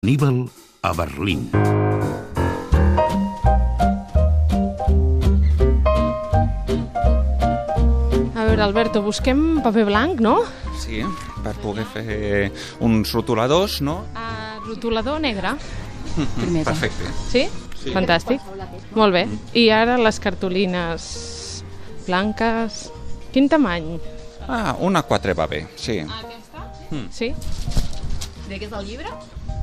Aníbal a Berlín. A veure, Alberto, busquem paper blanc, no? Sí, per poder fer uns rotuladors, no? Rotulador negre. Perfecte. Sí? Sí. Fantàstic. Molt bé. I ara les cartolines blanques... Quin tamany? Una 4 va bé, sí. Aquesta? Sí. De què és el llibre?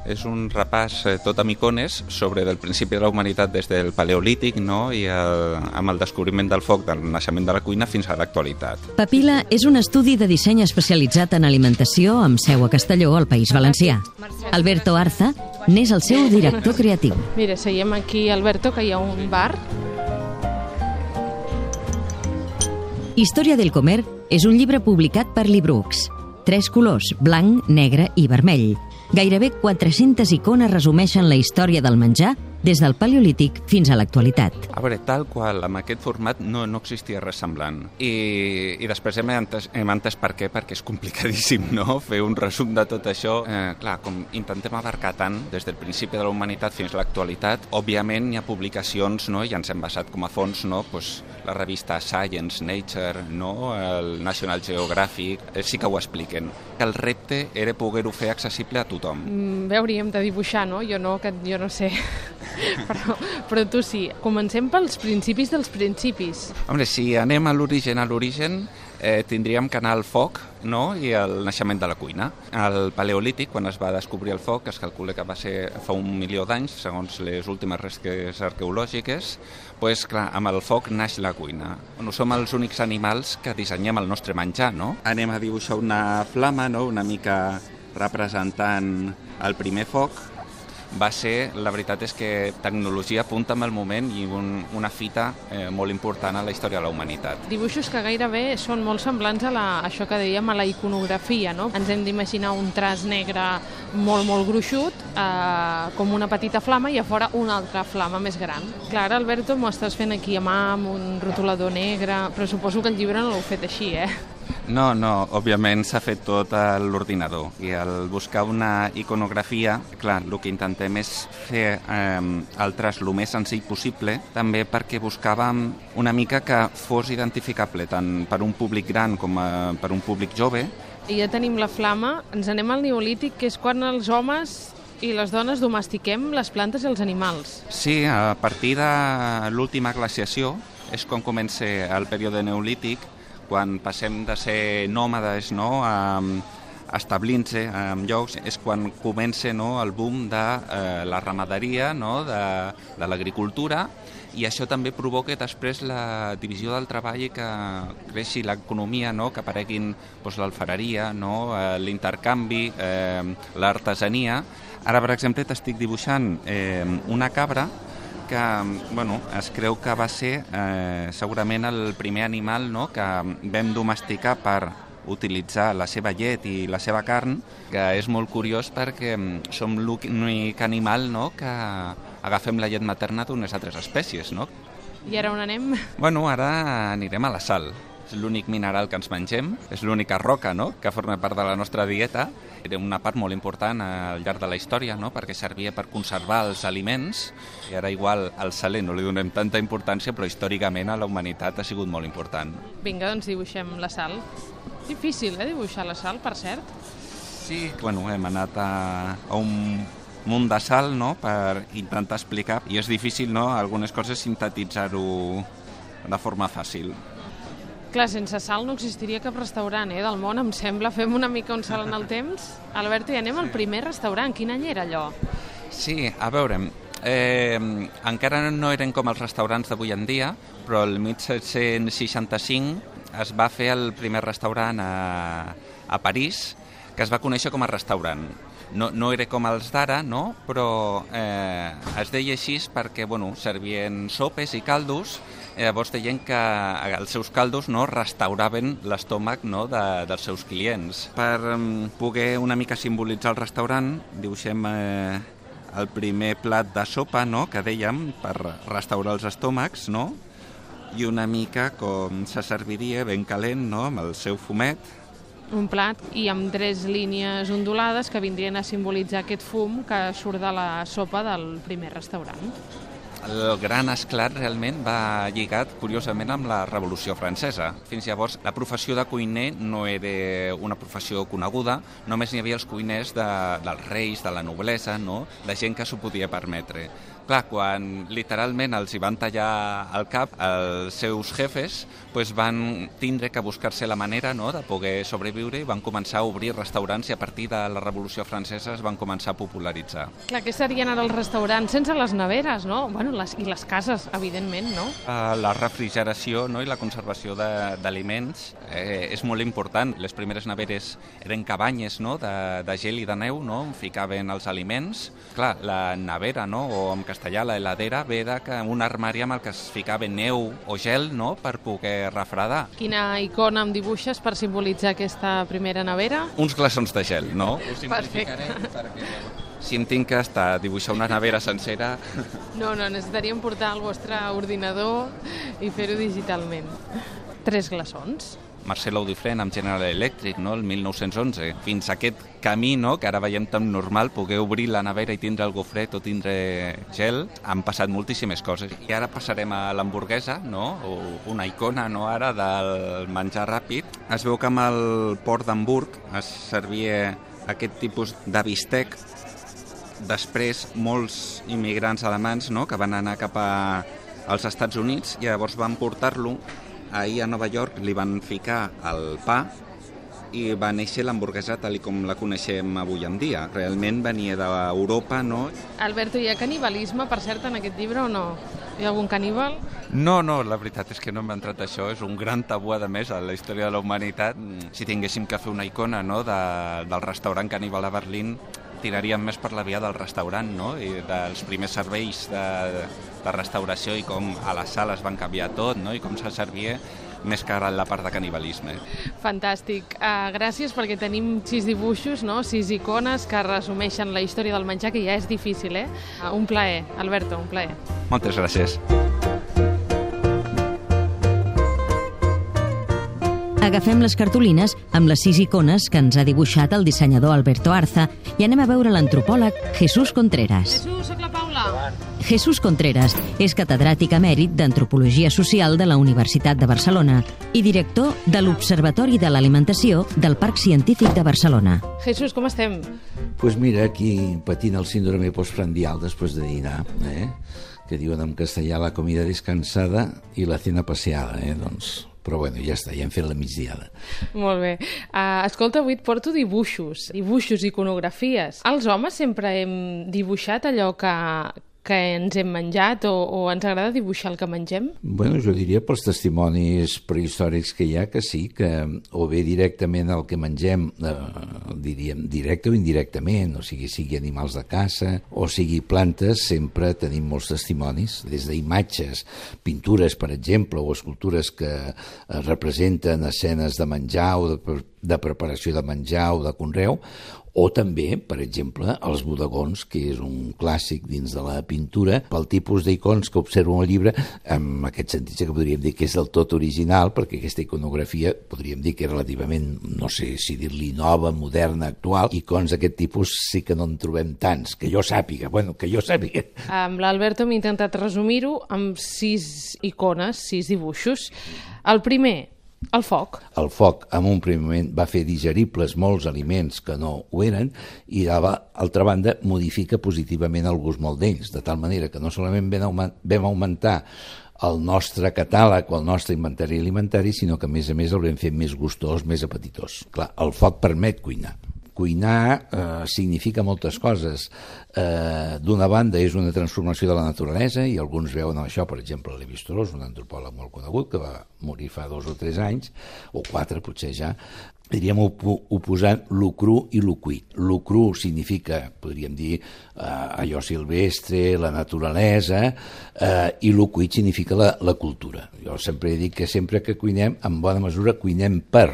És un repàs tot amb icones sobre el principi de la humanitat des del Paleolític, no? I amb el descobriment del foc, del naixement de la cuina fins a l'actualitat. Papila és un estudi de disseny especialitzat en alimentació amb seu a Castelló, al País Valencià. Alberto Arza n'és el seu director creatiu. Mira, seiem aquí, Alberto, que hi ha un bar. Història del Comer és un llibre publicat per Librux. 3 colors, blanc, negre i vermell. Gairebé 400 icones resumeixen la història del menjar des del Paleolític fins a l'actualitat. A veure, tal qual, amb aquest format no existia res semblant. I després hem entès per què, perquè és complicadíssim, no?, fer un resum de tot això. Clar, com intentem abarcar tant des del principi de la humanitat fins a l'actualitat, òbviament hi ha publicacions, no?, i ens hem basat com a fons, no?, pues, la revista Science, Nature, no?, el National Geographic, sí que ho expliquen. El repte era poder-ho fer accessible a tothom. Bé, hauríem de dibuixar, no? Jo no sé... Però tu sí. Comencem pels principis dels principis. Hombre, si anem a l'origen, tindríem que anar al foc, no?, i el naixement de la cuina. Al Paleolític, quan es va descobrir el foc, es calcula que va ser fa 1 milió d'anys, segons les últimes restes arqueològiques, doncs clar, amb el foc naix la cuina. Bueno, som els únics animals que dissenyem el nostre menjar, no? Anem a dibuixar una flama, no?, una mica representant el primer foc. Va ser, la veritat és que tecnologia punta amb el moment i una fita molt important a la història de la humanitat. Dibuixos que gairebé són molt semblants a això que dèiem, a la iconografia, no? Ens hem d'imaginar un traç negre molt gruixut, com una petita flama, i a fora una altra flama més gran. Clar, Alberto, m'ho estàs fent aquí a mà, amb un rotulador negre, però suposo que el llibre no l'heu fet així, No, òbviament s'ha fet tot a l'ordinador, i al buscar una iconografia, clar, el que intentem és fer el traç el més senzill possible, també perquè buscàvem una mica que fos identificable tant per un públic gran com per un públic jove. I ja tenim la flama, ens anem al Neolític, que és quan els homes i les dones domestiquem les plantes i els animals. Sí, a partir de l'última glaciació és quan comença el període neolític, quan passem de ser nòmades, no?, a establint-se en llocs, és quan comença, no?, el boom de la ramaderia, no?, de l'agricultura, i això també provoca després la divisió del treball i que creixi l'economia, no?, que apareguin l'alfareria, no?, l'intercanvi, l'artesania. Ara, per exemple, t'estic dibuixant una cabra que es creu que va ser segurament el primer animal, no?, que vam domesticar per utilitzar la seva llet i la seva carn, que és molt curiós perquè som l'únic animal, no?, que agafem la llet materna d'unes altres espècies, no? I ara on anem? Ara anirem a la sal. És l'únic mineral que ens mengem, és l'única roca, no?, que forma part de la nostra dieta. Era una part molt important al llarg de la història, no?, perquè servia per conservar els aliments, i ara igual al saler no li donem tanta importància, però històricament a la humanitat ha sigut molt important. Vinga, doncs dibuixem la sal. Difícil, dibuixar la sal, per cert? Sí, hem anat a un munt de sal, no?, per intentar explicar, i és difícil, no?, algunes coses sintetitzar-ho de forma fàcil. Clar, sense sal no existiria cap restaurant del món, em sembla. Fem una mica un salt en el temps. Alberto, i anem al primer restaurant. Quin any era allò? Sí, a veure, encara no eren com els restaurants d'avui en dia, però el 1765 es va fer el primer restaurant a París, que es va conèixer com a restaurant. No era com els d'ara, no?, però es deia així perquè servien sopes i caldos. Llavors deien que els seus caldos, no, restauraven l'estómac, no, dels seus clients. Per poder una mica simbolitzar el restaurant, dibuixem el primer plat de sopa, no?, que dèiem, per restaurar els estómacs, no?, i una mica com se serviria ben calent, no?, amb el seu fumet, Un plat i amb 3 línies ondulades que vindrien a simbolitzar aquest fum que surt de la sopa del primer restaurant. El gran esclat realment va lligat, curiosament, amb la Revolució Francesa. Fins llavors, la professió de cuiner no era una professió coneguda, només n'hi havia els cuiners dels reis, de la noblesa, no? De gent que s'ho podia permetre. Clar, quan literalment els hi van tallar el cap, els seus jefes van tindre que buscar-se la manera, no?, de poder sobreviure i van començar a obrir restaurants i a partir de la Revolució Francesa es van començar a popularitzar. Clar, què serien ara els restaurants sense les neveres, no? Bueno, i les cases, evidentment, no? La refrigeració, no?, i la conservació d'aliments és molt important. Les primeres neveres eren cabanyes, no?, de gel i de neu, no?, on ficaven els aliments. Clar, la nevera, no?, o en castellà la heladera, ve d'un armari amb el que es ficava neu o gel, no?, per poder refredar. Quina icona em dibuixes per simbolitzar aquesta primera nevera? Uns glaçons de gel, no? Perfecte. Si em tinc que dibuixar una nevera sencera... No, necessitaríem portar el vostre ordinador i fer-ho digitalment. 3 glaçons. Marcel Audifren amb General Electric, no?, el 1911. Fins a aquest camí, no?, que ara veiem tan normal, poder obrir la nevera i tindre el gofret o tindre gel, han passat moltíssimes coses. I ara passarem a l'hamburguesa, no?, o una icona, no?, ara del menjar ràpid. Es veu que amb el port d'Hamburg es servia aquest tipus de bistec. Després, molts immigrants alemanys, no?, que van anar cap als Estats Units i llavors van portar-lo. Ahir a Nova York li van ficar el pa i va néixer l'hamburguesa tal com la coneixem avui en dia. Realment venia d'Europa, no? Alberto, hi ha canibalisme, per cert, en aquest llibre o no? Hi ha algun caníbal? No, la veritat és que no hem entrat això. És un gran tabú, a més, a la història de la humanitat. Si tinguéssim que fer una icona, no?, del restaurant caníbal a Berlín, tiraríem més per la via del restaurant, no?, i dels primers serveis de restauració i com a les sales van canviar tot, no?, i com se servia, més que ara la part de canibalisme. Fantàstic. Gràcies perquè tenim 6 dibuixos, no?, 6 icones que resumeixen la història del menjar, que ja és difícil, eh? Un plaer, Alberto, un plaer. Moltes gràcies. Agafem les cartolines amb les 6 icones que ens ha dibuixat el dissenyador Alberto Arza i anem a veure l'antropòleg Jesús Contreras. Jesús, soc la Paula. Jesús Contreras és catedràtic emèrit d'Antropologia Social de la Universitat de Barcelona i director de l'Observatori de l'Alimentació del Parc Científic de Barcelona. Jesús, com estem? Pues mira, aquí patint el síndrome postprandial després de dinar, que diuen en castellà la comida descansada i la cena passeada, doncs... Però bueno, ja està, ja hem fet la migdiada. Molt bé. Escolta, avui et porto dibuixos, iconografies. Els homes sempre hem dibuixat allò que ens hem menjat o ens agrada dibuixar el que mengem? Bueno, jo diria pels testimonis prehistòrics que hi ha que sí, que o bé directament el que mengem, diríem directe o indirectament, o sigui animals de caça o sigui plantes, sempre tenim molts testimonis, des d'imatges, pintures, per exemple, o escultures que representen escenes de menjar o de preparació de menjar o de conreu, o també, per exemple, els bodegons, que és un clàssic dins de la pintura, pel tipus d'icons que observo en el llibre, en aquest sentit que podríem dir que és del tot original, perquè aquesta iconografia podríem dir que és relativament, no sé si dir-li nova, moderna, actual. Icons d'aquest tipus sí que no en trobem tants, que jo sàpiga. Amb l'Alberto m'he intentat resumir-ho amb 6 icones, 6 dibuixos. El primer, el foc. El foc, en un primer moment, va fer digeribles molts aliments que no ho eren i, d'altra banda, modifica positivament el gust molt d'ells, de tal manera que no solament vam augmentar el nostre catàleg o el nostre inventari alimentari, sinó que, a més el vam fer més gustós, més apetitós. Clar, el foc permet cuinar. Cuinar significa moltes coses. D'una banda és una transformació de la naturalesa i alguns veuen això, per exemple, Lévi-Strauss, un antropòleg molt conegut que va morir fa 2 o 3 anys, o 4 potser ja, diríem oposant lo cru i lo cuit. Lo cru significa, podríem dir, allò silvestre, la naturalesa, i lo cuit significa la cultura. Jo sempre dic que sempre que cuinem, en bona mesura cuinem per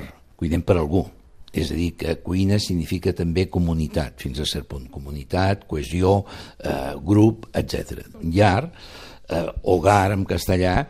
algú. És a dir, que cuina significa també comunitat, fins a cert punt. Comunitat, cohesió, grup, etc. Llar hogar en castellà,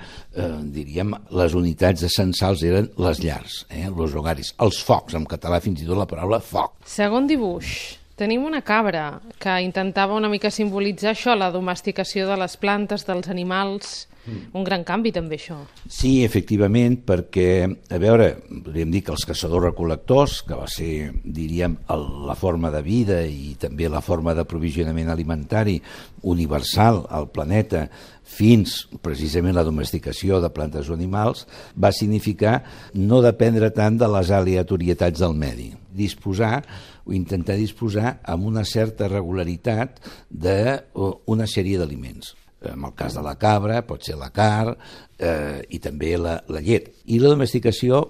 diríem, les unitats essencials eren les llars, los hogaris, els focs, en català fins i tot la paraula foc. Segon dibuix. Tenim una cabra que intentava una mica simbolitzar això, la domesticació de les plantes, dels animals. Un gran canvi també això. Sí, efectivament, perquè, a veure, podríem dir que els caçadors-recol·lectors, que va ser, diríem, la forma de vida i també la forma d'aprovisionament alimentari universal al planeta, fins precisament la domesticació de plantes o animals, va significar no dependre tant de les aleatorietats del medi. Disposar o intentar disposar amb una certa regularitat d'una sèrie d'aliments. En el cas de la cabra pot ser la carn i també la llet. I la domesticació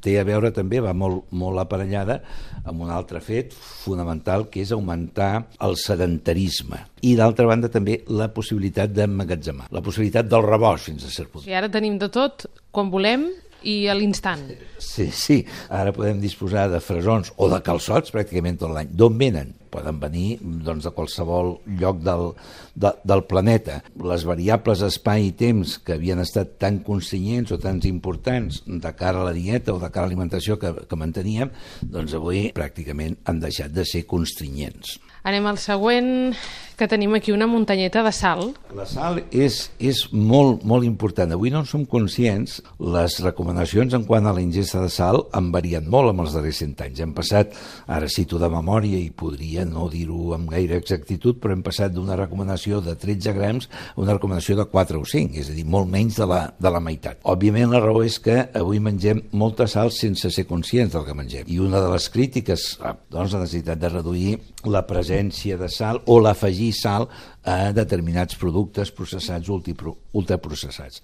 té a veure també, va molt aparellada amb un altre fet fonamental, que és augmentar el sedentarisme. I d'altra banda també la possibilitat d'emmagatzemar, la possibilitat del rebost fins a cert punt. I ara tenim de tot, quan volem i a l'instant. Sí. Ara podem disposar de fresons o de calçots pràcticament tot l'any. D'on venen? Poden venir doncs, de qualsevol lloc del planeta. Les variables espai i temps que havien estat tan constrenyents o tan importants de cara a la dieta o de cara a l'alimentació que manteníem, doncs avui pràcticament han deixat de ser constrenyents. Anem al següent, que tenim aquí una muntanyeta de sal. La sal és molt, molt important. Avui no en som conscients. Les recomanacions en quant a la ingesta de sal han variat molt en els darrers 100 anys. Hem passat, ara cito de memòria i podria no dir-ho amb gaire exactitud, però hem passat d'una recomanació de 13 grams a una recomanació de 4 o 5, és a dir, molt menys de la meitat. Òbviament la raó és que avui mengem molta sal sense ser conscients del que mengem. I una de les crítiques, doncs, la necessitat de reduir la presència de sal o l'afegir sal a determinats productes processats o ultraprocessats.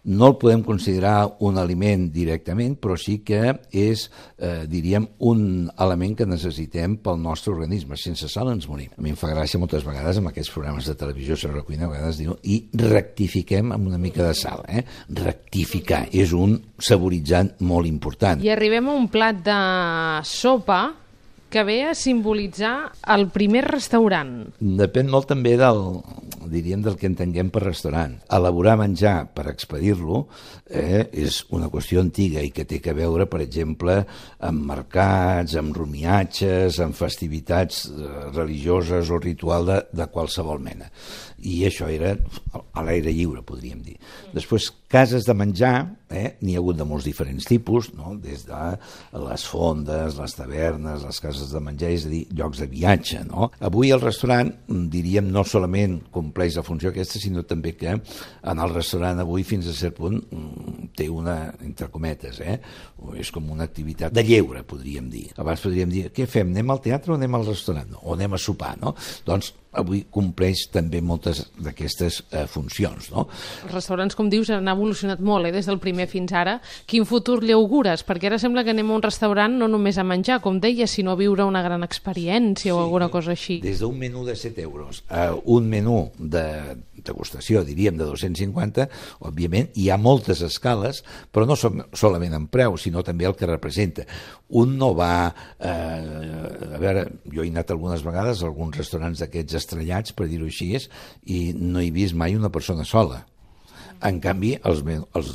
No el podem considerar un aliment directament, però sí que és, diríem, un element que necessitem pel nostre organisme. Sense sal ens morim. A mi em fa gràcia moltes vegades amb aquests programes de televisió sobre la cuina, a vegades diu, i rectifiquem amb una mica de sal. Rectificar és un saboritzant molt important. I arribem a un plat de sopa que ve a simbolitzar el primer restaurant. Depèn molt també del que entenguem per restaurant. Elaborar menjar per expedir-lo és una qüestió antiga i que té a veure, per exemple, amb mercats, amb romiatges, amb festivitats religioses o ritual de qualsevol mena. I això era a l'aire lliure, podríem dir. Després, cases de menjar, n'hi ha hagut de molts diferents tipus, no? Des de les fondes, les tavernes, les cases de menjar, és a dir, llocs de viatge. No? Avui el restaurant, diríem, no solament compleix la funció aquesta, sinó també que en el restaurant avui fins a cert punt té una, entre cometes, és com una activitat de lleure, podríem dir. Abans podríem dir, què fem, anem al teatre o anem al restaurant? O anem a sopar, no? Doncs avui compleix també moltes d'aquestes funcions. No? Els restaurants, com dius, han evolucionat molt des del primer fins ara. Quin futur li augures? Perquè ara sembla que anem a un restaurant no només a menjar, com deies, sinó a viure una gran experiència o alguna cosa així. Des d'un menú de 7 euros a un menú de degustació, diríem, de 250, òbviament hi ha moltes escales, però no solament en preu, sinó també el que representa. Un no va... a veure, jo he anat algunes vegades a alguns restaurants d'aquests estrellats, per dir-ho així, i no he vist mai una persona sola. En canvi, els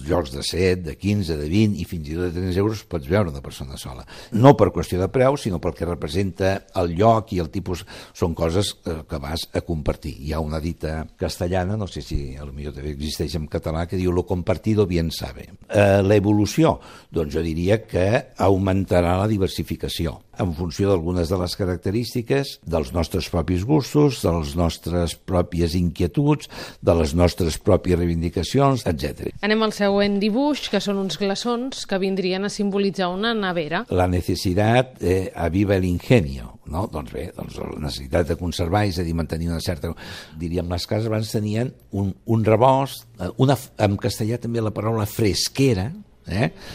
llocs de 7, de 15, de 20 i fins i tot de 30 euros pots veure una persona sola. No per qüestió de preu, sinó pel que representa el lloc i el tipus. Són coses que vas a compartir. Hi ha una dita castellana, no sé si potser també existeix en català, que diu lo compartido bien sabe. L'evolució, doncs jo diria que augmentarà la diversificació en funció d'algunes de les característiques dels nostres propis gustos, de les nostres pròpies inquietuds, de les nostres pròpies reivindicacions, etc. Anem al següent dibuix, que són uns glaçons que vindrien a simbolitzar una nevera. La necessitat aviva el ingenio, no? Doncs bé, la necessitat de conservar, és a dir, mantenir una certa... Diríem, les cases abans tenien un rebost, en castellà també la paraula fresquera,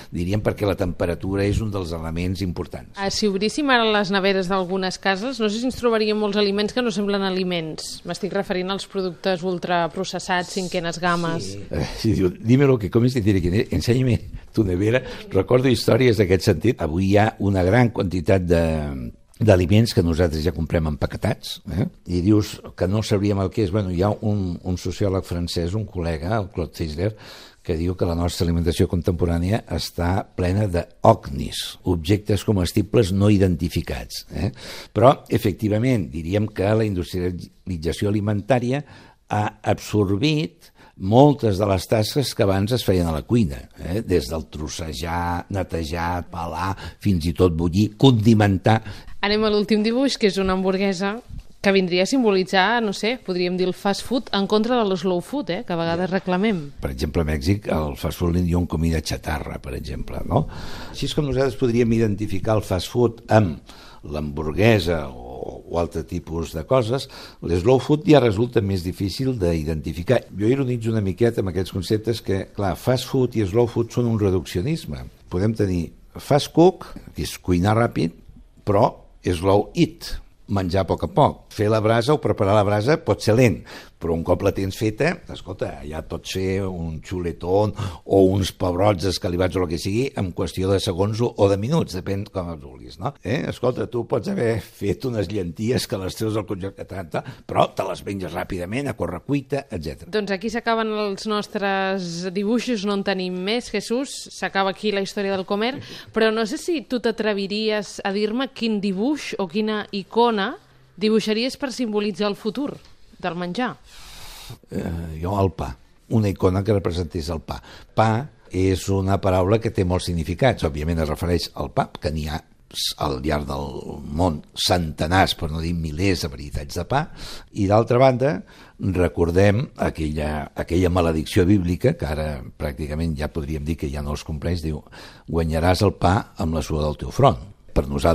diríem, perquè la temperatura és un dels elements importants. Si obríssim ara les neveres d'algunes cases, no sé si ens trobaríem molts aliments que no semblen aliments. M'estic referint als productes ultraprocessats, cinquenes games. Sí, diu, dímelo, que comes, enséñame tu nevera. Recordo històries d'aquest sentit. Avui hi ha una gran quantitat d'aliments que nosaltres ja comprem empaquetats, i dius que no sabríem el que és. Bueno, hi ha un sociòleg francès, un col·lega, el Claude Fischler, que diu que la nostra alimentació contemporània està plena d'OCNIs, objectes comestibles no identificats. Però, efectivament, diríem que la industrialització alimentària ha absorbit moltes de les tasques que abans es feien a la cuina, des del trossejar, netejar, pelar, fins i tot bullir, condimentar. Anem a l'últim dibuix, que és una hamburguesa que vindria a simbolitzar, no sé, podríem dir el fast food en contra de l'slow food, que a vegades reclamem. Per exemple, a Mèxic, el fast food li diuen comida xatarra, per exemple, no? Així és com nosaltres podríem identificar el fast food amb l'hamburguesa o altre tipus de coses. L'slow food ja resulta més difícil d'identificar. Jo ironitzo una miqueta amb aquests conceptes que, clar, fast food i slow food són un reduccionisme. Podem tenir fast cook, que és cuinar ràpid, però slow eat, menjar a poc. Fer la brasa o preparar la brasa pot ser lent, però un cop la tens feta, escolta, ja pots fer un xuletón o uns pebrots escalivats o el que sigui en qüestió de segons o de minuts, depèn com els vulguis, no? Escolta, tu pots haver fet unes llenties que les treus del congelat, però te les menges ràpidament, a correcuita, etc. Doncs aquí s'acaben els nostres dibuixos, no en tenim més, Jesús, s'acaba aquí la història del Comer, però no sé si tu t'atreviries a dir-me quin dibuix o quina icona dibuixaries per simbolitzar el futur del menjar. Jo el pa, una icona que representés el pa. Pa és una paraula que té molts significats, òbviament es refereix al pa, que n'hi ha al llarg del món centenars, per no dir milers de varietats de pa, i d'altra banda recordem aquella maledicció bíblica, que ara pràcticament ja podríem dir que ja no es compleix, diu, guanyaràs el pa amb la suor del teu front. Per nosaltres